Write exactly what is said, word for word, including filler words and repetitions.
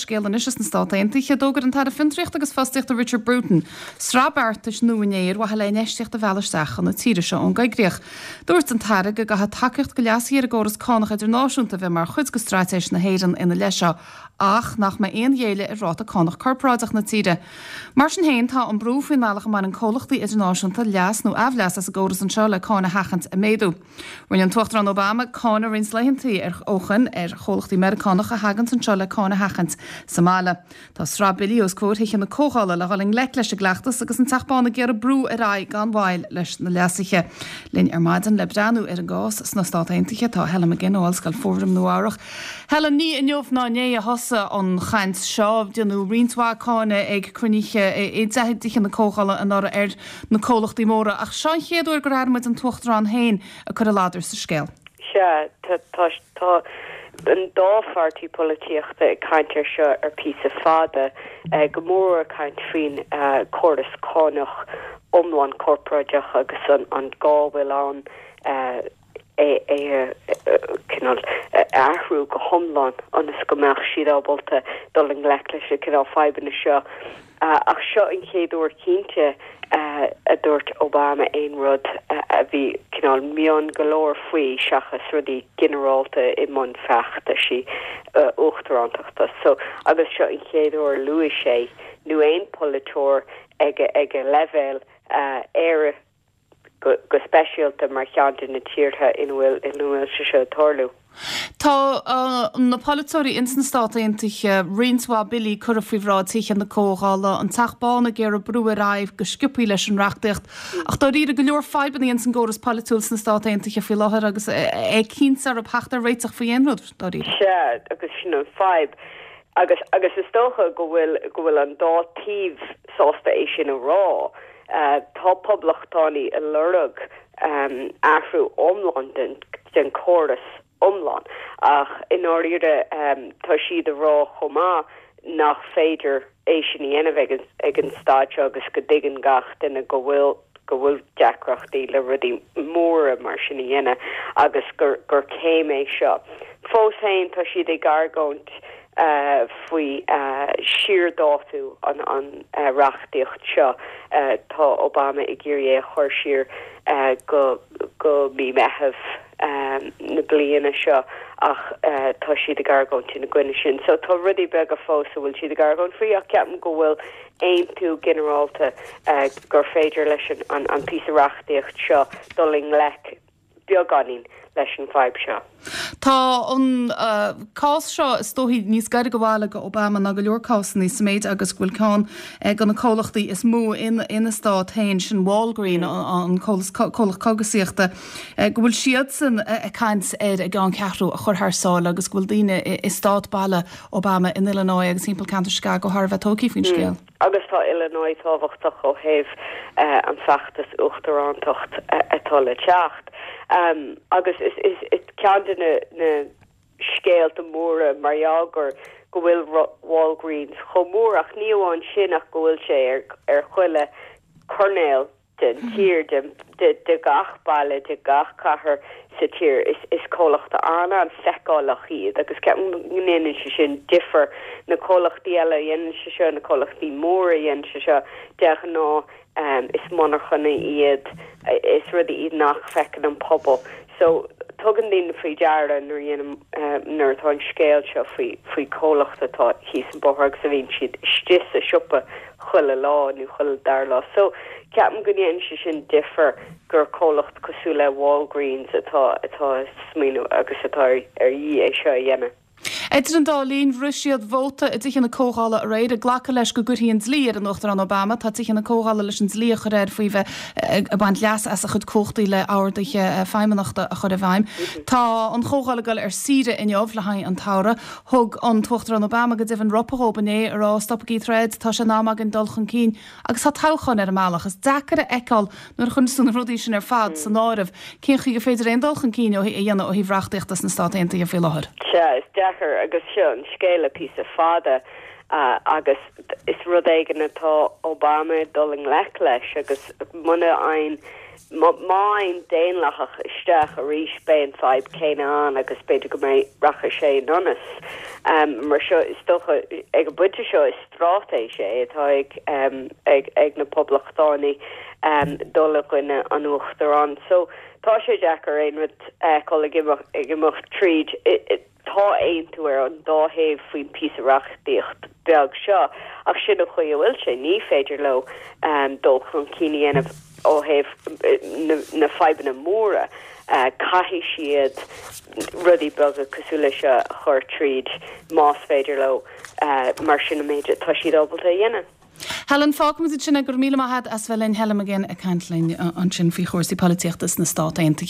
scéal anois as na Stáit Aontaithe. D'fhógair an tAire Fiontraíochta agus Fostaíochta Richard Bruton sraith beartais nua inné ar mhaithe le infheistíocht a mhealladh isteach chun na tíre seo ón gcoigríoch. Dúirt an tAire go gcaithfidh tacaíocht go leasuithe ar an gcóras cánach idirnáisiúnta a bheith mar chuid de straitéis na hÉireann ina leith seo, ach nach mbeidh aon ghéilleadh ar ráta cánach corparáideach na tíre. Mar sin féin, tá an brú faoin mbealach a mbaineann comhlachtaí idirnáisiúnta leas nó aimhleas as an gcóras anseo le cáin a sheachaint ag méadú. Rinne an tUachtarán Obama cáineadh roinnt laethanta ar ó shin ar chomhlachtaí Meiriceánacha a thagann anseo le cáin a sheachaint sa mbaile. Tá sraith billí os comhair Thithe na Comhdhála le dhul i ngleic leis an gcleachtas agus an Teach Bán ag iarraidh brú ar aghaidh gan mhoill leis na leasuithe. Linn ar maidin le breathnú ar an gcás sna Stáit Aontaithe tá Helen McGinn ó Ollscoil Fordham Nua-Eabhrac. Helen, ní inniu ná inné a thosaigh an chaint seo, déanadh roinnt mhaith cáineadh ag cruinnithe i dTithe na Comhdhála anuraidh ar na comhlachtaí móra, ach seo an chéad uair gur airigh muid an tUachtarán féin ag cur a ladar sa scéal. Sea, tá tá an dá pháirtí polaitíochta ag caint ar seo ar píosa fada, go mór ag caint faoin córas cánach iomlán corparáideach agus an an gá a bhfuil ann é é cineál athrú go hiomlán ionas go mbeadh siad ábalta dul i ngleic leis na cineál fadhbanna seo. Ach seo an chéad uair cinnte a dúirt Obama aon rud a bhí cineál mion go leor faoi seachas rudaí ginearálta i mbun feachtais uachtarántachta. So agus seo an chéad uair luaigh sé nó aon polaiteoir ag ag a leibhéal Éire go, go speisialta mar cheann de na tíortha ina bhfuil ina bhfuil sé seo ag tarlú. Tá uh, na polaiteoirí ins na Stáit Aontaithe roinnt mhaith billí curtha faoi bhráid Tithe na Comhdhála, an Teach Bán ag iarraidh brú ar aghaidh go sciobtha leis an reachtaíocht. Ach dáiríre go leor fadhbanna ins an gcóras polaitiúil sna Stáit Aontaithe faoi láthair agus é cinnte ar theacht ar réiteach faoi aon rud dáiríre. Sea, agus sin an fadhb. Agus agus is dócha go bhfuil go bhfuil an dá taobh sásta é sin a rá. Uh, tá poblachtánaigh ag lorg um, athrú iomlán den, den córas iomlán ach i ndáiríre um, tá siad ag rá chomh maith nach féidir é sin a dhéanamh ag, ag an staid seo agus go dtuigeann gach duine go bhfuil go bhfuil deacrachtaí le rudaí móra mar sin a dhéanamh agus gur gur céim é seo. Fós féin tá siad ag argóint uh, faoi uh, siardhátú an an uh, reachtaíocht seo uh, tá Obama ag iarraidh é chur siar uh, go go mí Meitheamh um, na bliana seo ach uh, tá siad ag argóint ina gcoinne sin. So tá rudaí beaga fós a bhfuil siad ag argóint faoi ach ceapaim go bhfuil aontú ginearálta uh, gur féidir leis an, an, an píosa reachtaíocht seo dul i ngleic beagáinín leis an fadhb seo. Tá an uh, cás seo is dóichí níos gaire go bhaile go Obama ná go leor cásanna sa méid agus go bhfuil ceann uh, de na comhlachtaí is mó in ina stát féin sin Walgreen an comhlacht cógaisíochta uh, go bhfuil siadsan ag caint ar a gceanncheathrú a chur thar sáile agus go bhfuil daoine i stát baile Obama in Illinois agus timpeall ceantar Chicago thar a bheith tógtha faoin scéal. Mm. Agus tá Illinois tábhachtach ó thaobh uh, an feachtas uachtarántacht uh, atá le teacht. Um, agus is, is, is ceann de na, na scéalta móra mar gur go bhfuil Walgreens chomh mór ach ní amháin sin ach go bhfuil sé ar, ar chuile choirnéal den hmm. tír de, de, de gach baile de gach cathair sa tír is, is comhlacht an-an-fheiceálach iad agus ndéanann sé sin difear na comhlachtaí eile dhéanann sé seo na comhlachtaí móra dhéanann sé seo de ghnáth um, is monarchana iad is rudaí iad nach bhfeiceann an pobal. So tugann daoine faoi deara nuair uh, nuair atá an scéal seo faoi faoi comhlacht atá thíos an bóthar agus a bhíonn siad istigh sa siopa chuile lá nó chuile dara lá. So ceapaim go ndéanann sé sin difear gur comhlacht cosúil le Walgreens atá atá smaoineamh agus atá ar iarraidh é seo a dhéanamh. Idir an dá linn rith siad vóta i dTithe na Comhdhála aréir ag glacadh leis go gcuirfí an dlí ar an Uachtarán Obama, tá Tithe na Comhdhála leis an dlí a chur air faoi bheith ag baint leas as a chuid cumhachtaí le horduithe feidhmeannachta a chur i bhfeidhm. Tá an Chomhdháil ag dul ar saoire inniu le haghaidh an tsamhraidh. Thug an tUachtarán Obama go deimhin ropadh dóibh inné ag rá stopaigí troid, tá sé in am againn dul chun cinn agus tá toghchán ar an mbealach. Is deacair a fheiceáil nuair a chuireann tú na rudaí sin ar fad san áireamh. Cén chaoi gur féidir aon dul chun cinn a dhéanamh ó thaobh reachtaíochta sna Stáit Aontaithe faoi láthair. Sea, is deacair agus seo an scéal píosa fada uh, agus is rud éigin atá Obama dul i ngleic leis agus muna fhaigheann Má théann Daonlathach isteach arís beidh an fadhb céanna ann agus b'fhéidir go mbeidh rachaidh sé in donas. Um, mar seo is dócha ag an bpointe seo is straitéis é atá ag, um, ag, ag na poblachtánaigh um, dul i gcoinne an uachtaráin. So tá sé deacair aon rud uh, ag ag imeacht tríd. Tá aontú ar an dá thaobh faoin píosa reachtaíocht beag seo ach sin an chaoi a bhfuil sé ní féidir leo um, dul chun cinn a dhéanamh ó thaobh na, na fadhbanna móra uh, caithfidh siad rudaí beaga cosúil leis seo a chur tríd más féidir leo uh, mar sin an méid tá siad ábalta a dhéanamh. Helen fágfaimid sin go míle maith as bheith linn Helen McGinn ag caint linn ansin faoi chúrsaí polaitíochta sna Stáit Aontaithe.